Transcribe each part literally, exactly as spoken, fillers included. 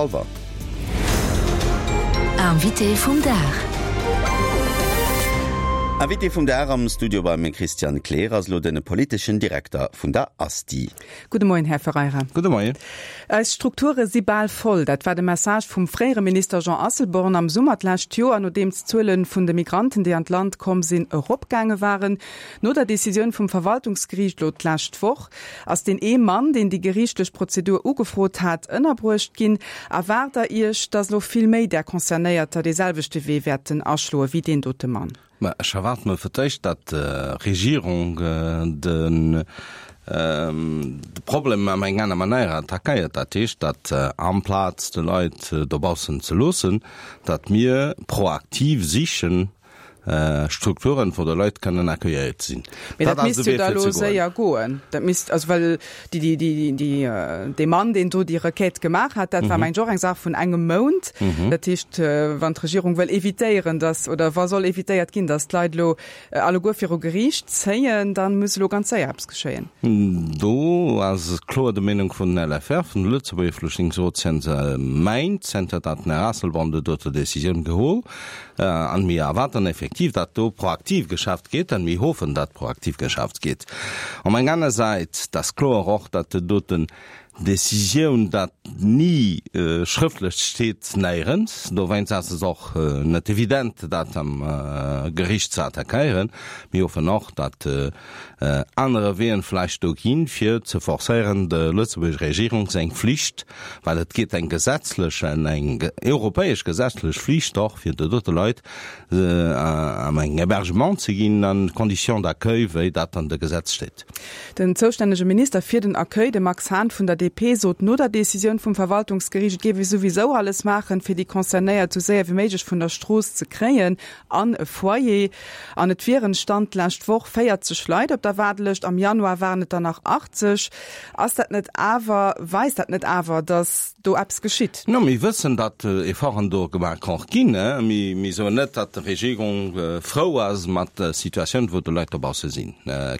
Hallwer. Invité vum Dag. Invité vum Dag am Studio beim Christian Kleer ass lo den politeschen Direkter vun der ASTI. Gudde Moien, Här Ferreira. Gudde Moien. Eis Strukture si bal voll. Dat war de Message vum fréiere Minister Jean Asselborn am Summer d'lescht Joer, nodeems d'Zuele vun de Migranten, déi an d'Land komm sinn, eropgaange waren. No der Decisioun vum Verwaltungsgeriicht lo d'lescht Woch ass deen ee Mann, deen déi geriichtlech Prozedur ugefrot hat, ënnerbruecht ginn. Erwaart Der Iech, datt lo vill méi där Concernéierter dee selwechte Wee wäerten aschloe wéi deen dote Mann? Mä ech erwaart mer fir d'éischt, datt d'Regierung de Problem am eng aner Manéier attackéiert. Dat heescht, datt amplaz de Leit dobaussen ze loossen, datt mir proaktiv sichen, Strukturen, wou de Leit kënnen accueilléiert sinn. Mee dat misst jo da elo séier goen. Dat misst, also well déi, déi, déi, déi, dee Mann, deen do déi Requête gemaach hat, dat war mengen ech och eng Saach vun engem Mount. Dat heescht, wann d'Regierung wëll evitéieren, datt, oder wa soll evitéiert ginn, datt d'Leit elo alleguer viru Geriicht zéien, da muss elo ganz séier eppes geschéien. Do ass kloer de Meenung vun den LFR, vun de Lëtzebuerger Flüchtlingsrot, zënter Méint, zënter datt den Här Asselborn déi dote Décisioun geholl An mir erwarten effektiv, datt do proaktiv geschafft gétt, an mir hoffen, datt proaktiv geschafft gétt. Op eng aner Säit, dat ass kloer och, datt déi doten Décisioun, dat ni schrëftlech steet néierens, dowéinst ass et och net evident, dat am Gericht ze attackéieren. Mir hoffen och, datt anere Weeën vläicht do ginn, fir ze forcéieren, der lëtzebuerger Regierung seng Flicht, well et gétt eng gesetzlech, eng europäesch gesetzlech Flicht och fir de dote Leit am eng Hébergement ze ginn an Conditions d'accueil, wéi dat an de Gesetz steet. Den zoustännege Minister fir den Accueil, de Max Hahn vun der D P, sot no der Decisioun vum Verwaltungsgeriicht, et géif ee souwisou alles maachen, fir déi Concernéiert sou séier wéi méiglech vun der Strooss ze kréien an e Foyer. An et wieren, Stand d'lescht Woch, véierzeg Leit op der Waardelëscht, am Januar waren et der nach achtzeg. Ass dat net awer, weist dat net awer, datt do eppes geschitt? No, mir wëssen, datt Efforten do gemaach och ginn. Mir, mir soen net, datt d'Regierung frou ass mat der Situatioun, wou de Leit dobausse sinn.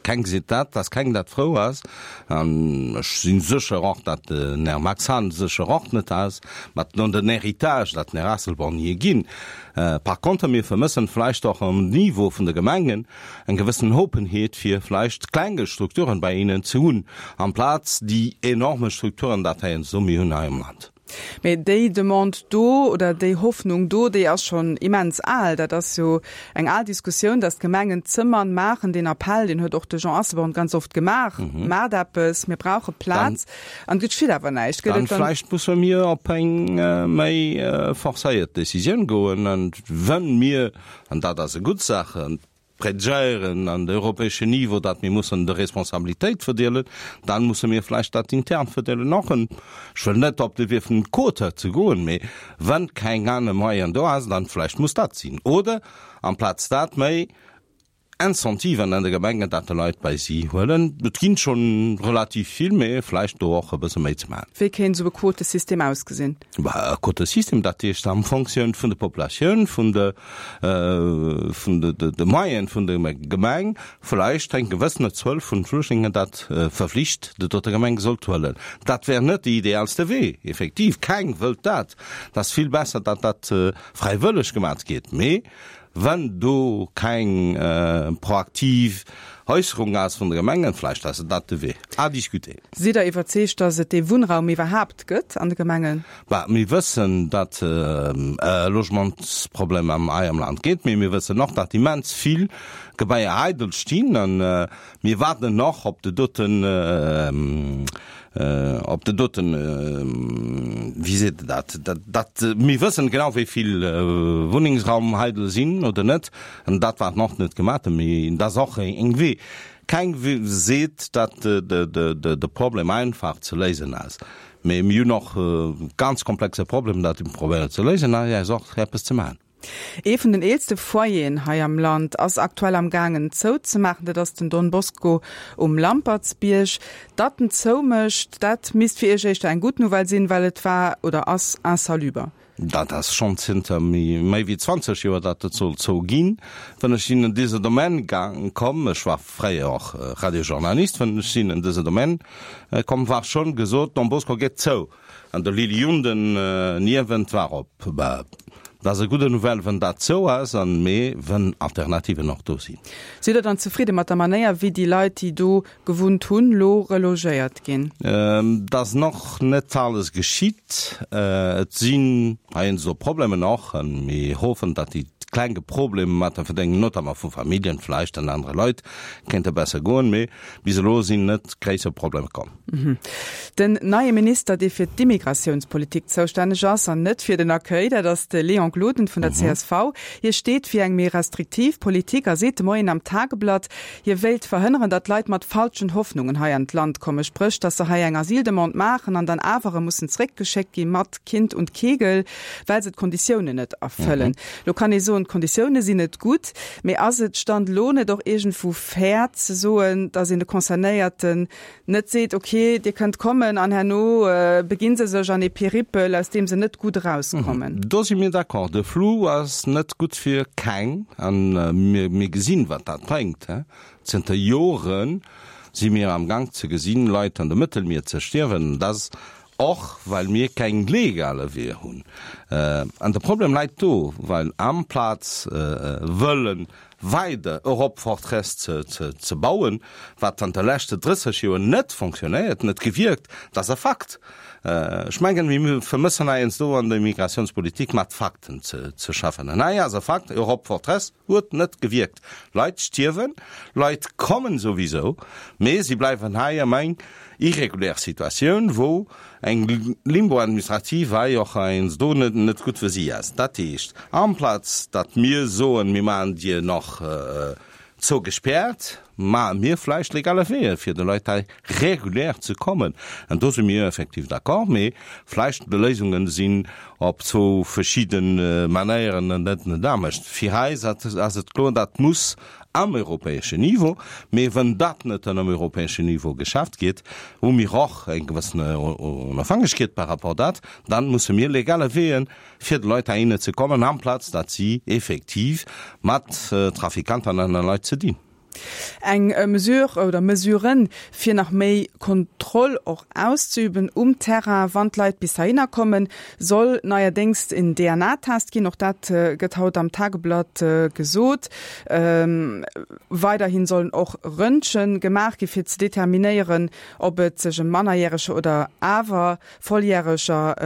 Keng seet dat, datt keng dat frou ass. An ech si sécher och, datt den Här Max Hahn sécher och net ass mat no den Héritage, dat den Här Asselborn hir ginn. Par contre, mir vermëssen vläicht och um Niveau vun de Gemengen eng gewëssen Openheet, fir vläicht klenge Strukturen bei hinnen ze hunn, amplaz déi enorme Strukturen, dat heiansdo mir hunn hei am Land. Mee déi Demande do oder déi Hoffnung do, déi ass schonn immens al. Dat ass jo eng al Diskussioun, datt d'Gemengen Zëmmern maachen. Deen Appell, deen huet och de Jean Asselborn ganz oft gemaach, Maacht eppes, mir brauche Plaz. An et geschitt awer näischt. Gëtt et dann. Vläicht musse mir op eng méi forcéiert Décisioun goen. An wënn mir, an dat ass e gutt Saach, predgéieren an de europäeschen Niveau, datt mir mussen de Responsabilitéit verdeelen, dann musse mir vläicht dat intern verdeelen och. Ech wëll net op de Wee vun Quote ze goen, mee wann keng aner Moyen do ass, dann vläicht muss dat sinn. Oder amplaz dat méi Incentiven an de Gemengen, datt de Leit bei si huelen. Et ginn schonn relativ vill, mee vläicht do och e bësse méi ze maachen. Wéi kéint esou e Quotesystem ausgesinn? Bah, e Quotesystem, dat heescht am Fonctioun vun der Populatioun, vun de, vun de, de Moyene vun der Gemeng, vläicht eng gewëssene Zuel vun Flüchtlingen, dat verflicht de dote Gemeng sollt huelen. Dat wär net de idealste Wee, effektiv, keng wëllt dat. Dat ass vill besser, datt dat fräiwëlleg gemat gétt. Mee wann do keng proaktiv Äusserung ass vun de Gemengen, vläicht ass et dat de Wee. À discuter. Sidd Der iwwerzeegt, datt et dee Wunnraum iwwerhaapt gëtt an de Gemengen? Bah, mir wëssen, datt e Logementsproblem am hei am Land gétt, mee mir wëssen och, datt immens vill Gebaier eidel stinn a mir waarden och op de doten, op de doten, wéi seet e dat, dat, mir wëssen genau, wéi vill Wunnengsraum eidel sinn oder net, an dat wat nach net gemaach, mee dat ass och eng Wee. Keng seet, datt de Problem einfach ze léisen ass, mee mir hunn och ganz komplexe Problem, dat probéieren ze léisen, a ass och eppes ze maachen. Ee vun den eelste Foyeren hei am Land ass aktuell am gaangen zouzemaachen, dat ass den Don Bosco um Lampertsbierg. Datt en zoumécht, dat misst fir Iech éischter eng gutt Nouvelle sinn, well et war oder ass insaluber. Dat ass schonn zënter méi wéi zwanzeg Joer, datt et soll zou ginn. Wann ech sinn an dëse Domaine gaang komm, ech war fréier och Radiojournalist, wann ech sinn an dëse Domaine komm, war schonn gesot, Don Bosco geet zou an de Lily Junden niewent war op. Bah, dat ass e gudde Nouvelle, wann dat zou ass, an mee wann Alternativen och do sinn. Sidd Der dann zefridde mat der Manéier, wéi déi Leit, déi do gewunnt hunn, lo relogéiert ginn? Et ass nach net alles geschitt. Et sinn heiansdo Problemen och, a mir hoffen, datt déi klenge Problemer mat der Verdéngung, notamment vu Familljen vläicht an anere Leit, kéinte besser goen. Mee bis elo sinn net gréisser Problemer komm. Den neie Minister, dee fir d'Immigratiounspolitik zoustänneg ass an net fir den Accueil, dat ass de Léon Gloden vun der csv. Hie steet fir eng méi restriktiv Politik a seet de Moien am Tageblatt, hie wéilt verhënneren, datt Leit mat falschen Hoffnungen hei an d'Land kommen, spréch datt se hei eng Asyldemande maachen an dann awer erëm mussen zeréckgeschéckt gi mat Kind und Kegel, well se d'Konditiounen net erfëllen. Lo kann ee soen, d'Konditioune sinn net gutt, mee ass et Stand elo net och iergendwou fair ze soen, datt een de Concernéierten net seet, ok, dir kënnt kommen an herno beginn se sech an ee Peripel, aus deem se net gutt erauskommen? Do si mir d'accord. De Flou ass net gutt fir keng an mir gesinn, wat dat bréngt. Zënter Jore si mir am Gank ze gesinn, Leit an de Mëttelmier ze stierwen. Dat ass och, well mir keng legale Weeër hunn. An de Problem läit do, well amplaz wëllen weider Europe Fortress ze bauen, wat an de leschte drësseg Joer net fonctionnéiert, net gewierkt, dat ass e Fakt. Ech mengen, mir vermëssen heiansdo an der Immigrationspolitik mat Fakten ze schaffen. An hei ass e Fakt, Europe Fortress huet net gewierkt. Leit stierwen, Leit kommen souwisou, mee si bleiwen hei am eng irregulär Situatioun, wou eng Limbo administrativ hei och heiansdo net net gutt fir si ass. Dat heescht, amplaz datt mir soen, mir maachen dir nach zougespäert, maache mir vläicht legale Weeër, fir de Leit hei regulär ze kommen. An do si mir effektiv d'accord, mee vläicht de Léisungen sinn op zwou verschidde Manéieren net net anescht. Fir eis ass et kloer, dat muss am europäeschen Niveau, mee wann dat net am europäeschen Niveau geschafft gétt, hu mir och eng gewëssen Onofhängegkeet par rapport dat, dann musse mir legale Weeën, fir de Leit heihinne ze kommen, amplaz datt si effektiv mat Trafikanten an anere Leit ze dinn. Eng Mesure oder Mesuren, fir nach méi Kontroll och auszeüben um Terrain, wann d'Leit bis heihinner kommen, soll neierdéngs en D N A-Test ginn. Och dat gëtt haut am Tageblatt gesot. Weiderhin sollen och Röntgen gemaach gi fir ze determinéieren, ob et sech ëm Mannerjäreger oder awer Volljäreger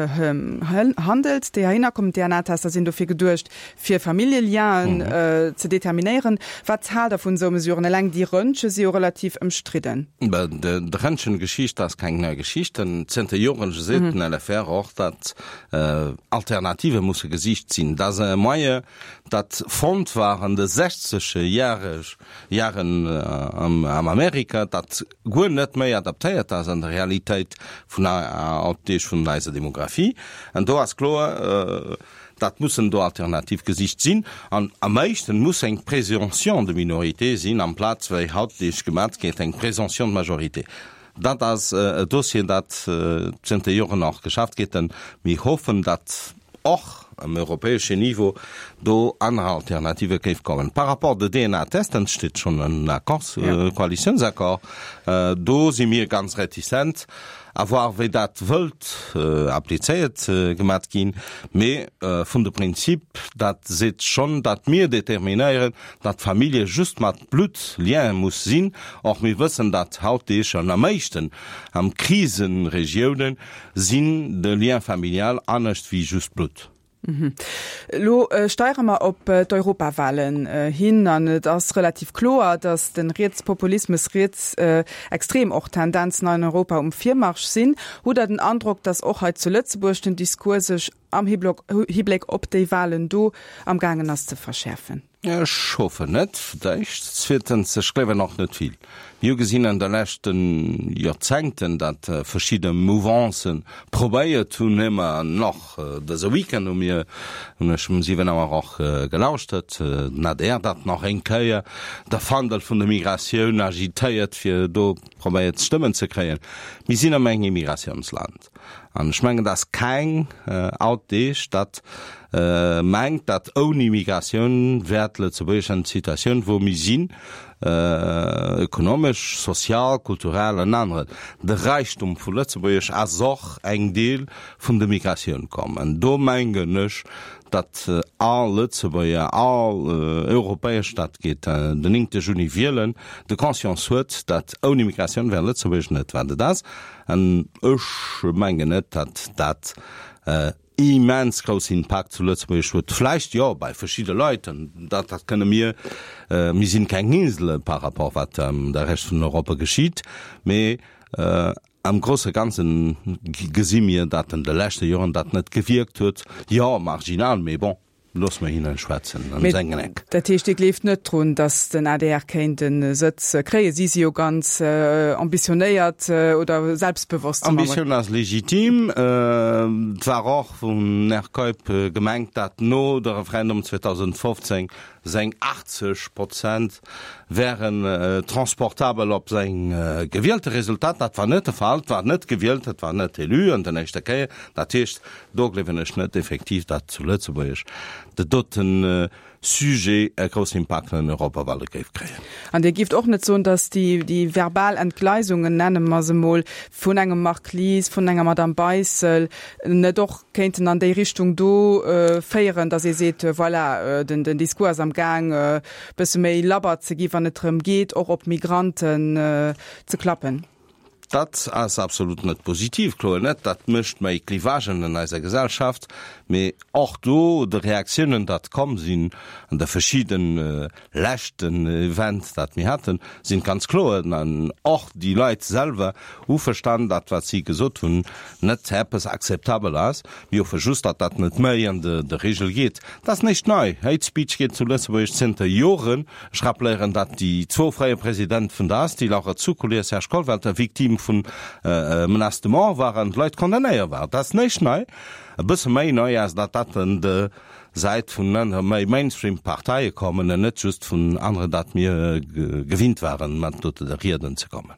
handelt, déi heihinner kommen. D N A-Tester sinn dofir geduecht, fir Familljelienen ze determinéieren. Wat haalt Der vun esou Mesuren? Eleng déi Röntge si jo relativ ëmstridden. D'Röntgen-Geschicht ass keng nei Geschicht. Zënter Joren seet den L F R och, datt Alternative musse gesicht sinn. Dat ass e Moyen, dat fonnt war an de sechzege Jaren am Amerika, dat guer net méi adaptéiert ass an der Realitéit vun hautdeeg vun eiser Demografie. An do ass kloer, dat mussen do Alternativ gesicht sinn. An am meeschten muss eng Présomption de minorité sinn, amplaz wéi hautdeeg gemat gétt eng Présomption de majorité. Dat ass e Dossier, dat zënter Joren och geschafft gétt. Mir hoffen, datt och am europäesche Niveau do aner Alternative géif kommen. Par rapport de D N A-Testen steet schonn en Accord, Koalitiounsaccord, do si mir ganz réticent, à voir wéi dat wëllt applizéiert gemat ginn, mee vun de Prinzip, dat seet schonn, datt mir determinéieren, datt d'Famillje just mat Bluttlien muss sinn. Och mir wëssen, datt hautdeeg an am meeschten am Krisenregiounen sinn de Lien familial anescht wéi just Blutt. Elo steiere mer op d'Europawahlen hin an et ass relativ kloer, datt de Rietspopulismus, rietsextrem och Tendenzen an Europa um Virmarsch sinn. Hutt Der den Androck, datt och hei zu Lëtzebuerg den Discours sech am Hibléck op déi Wahlen do am gaangen ass ze verschäerfen? Ech hoffen net, d'éischt. Zweetens, ech gleewen och net vill. Mir hu gesinn an de leschte Joerzéngten, datt verschidde Mouvancen probéiert hunn, ëmmer nach dëse Weekend hu mir, hunn ech um siwen Auer och gelauschtert, den A D R dat nach eng Kéier de Fandel vun der Migratioun agitéiert, fir do probéiert Stëmmen ze kréien. Mir sinn am engem Immigratiounsland. An ech mengen, dass keng hautdeeg dat mengt, dat ouni Migratioun wäert Lëtzebuerg an d'Situatioun wou mir sinn, ökonomesch, sozial, kulturell an aneren. De Räichtum vu Lëtzebuerg ass och eng Deel vun der Migratioun komm. An do mengen ech, datt all Lëtzebuerger, all Europäesch, dat geet den néngte Juni wielen, de Conscience huet, datt ouni Migratioun wär Lëtzebuerg net wat et ass. An ech mengen net, datt dat immens grouss Impakt zu Lëtzebuerg huet. Vläicht jo bei verschidde Leit, an dat dat kënne mir, mir sinn keng Insele par rapport wat am der Rescht vun Europa geschitt, mee am grosse Ganzen gesi mir, datt an de leschte Joren dat net gewierkt huet. Jo, marginal, mee bon. Looss mer hinnen schwätzen an sengen Eck. Dat heescht, Dir gleeft net drun, datt den adr kéint e Sëtz kréien? Si si jo ganz ambitionéiert oder selbstbewosst. Ambitioun ass legitim. Et war och vum Här Keup gemengt, datt no de Referendum zweedausendfofzéng seng achtzeg Prozent wären transportabel op seng gewielte Resultat. Dat war net de Fall. Et war net gewielt, et war net élu an den éischte Kéier. Dat heescht, do gleewen ech net effektiv, datt zu Lëtzebuerg dat doten Sujet e groussen Impakt an den Europawale géif kréien. An Dir gift och net soen, datt déi, déi verbal Entgleisungen, nenne mer se emol, vun engem Marc Lies, vun enger Madame Beissel net och kéinten an déi Richtung do féieren, datt ee seet, voilà, den, den Discours ass am Gaang e bësse méi labber ze gi wann et drëm geet, och op Migranten ze klappen? Dat ass absolut net positiv, kloer net. Dat mécht méi Clivagen an eiser Gesellschaft. Mee och do, de Reaktiounen, dat komm sinn an de verschidde leschten Events, dat mir haten, sinn ganz kloer. An och déi Leit selwer hu verstan, dat wat si gesot hunn, net eppes akzeptabel ass. Mir hoffe just, datt dat net méi an de Regel geet. Dat ass näischt nei. Hate Speech geet zu Lëtzebuerg zënter Joren. Ech rappléieren, datt déi zwou fréier Presidente vun der ASTI, Laura Zuccoli a Serge Kollwelter, Victime vun Menaces de mort waren, d'Leit condamnéiert waren. Dat ass näischt nei. E bësse méi nei ass, datt dat un de Säit vun ënner méi Mainstream-Parteie kommen an net just vun aneren, dat mir gewinnt waren, mat dote Rieden ze kommen.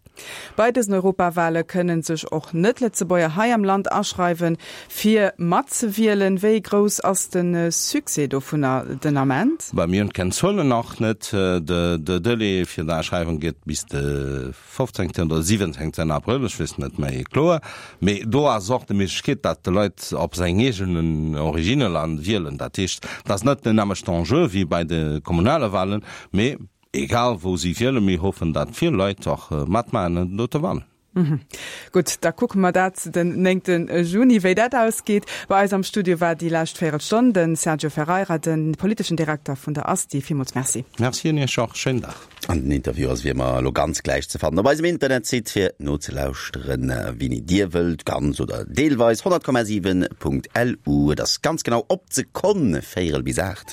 Bei dësen Europawale kënne sech och Net-Lëtzebuerger hei am Land aschreiwen, fir matzewielen. Wéi grouss ass de Succès dovunner den Ament? Bei mir hunn keng Zuelen nach net. De Delai fir d'Aschreiwung geet bis de fofzéngten oder siwwenzéngten Abrëll, ech weess net méi kloer. Mee do ass och de Méiglechkeet, datt de Leit op seng eegenen Originneland wielen. Dat heescht, dat ass net den nämmlechten Enjeu wéi bei de kommunale Walen, mee egal wou si wielen, mir hoffen, datt vill Leit och matmaachen an dote Walen. Gutt, da kucke mer dat den néngte Juni, wéi dat ausgeet. Bei eis am Studio war déi lescht Véierelstonn de Sergio Ferreira, de politeschen Direkter vun der ASTI. Villmools Merci. Merci un Iech och. Schéinen Dag. An den Interview ass wéi ëmmer elo ganz gläich ze fannen op eisem Internetsite fir nozelauschteren, wéini Dir wëllt, ganz oder deelweis, honnert Komma siwen Punkt LU. Et ass ganz genau op d'Sekonn véierel bis aacht.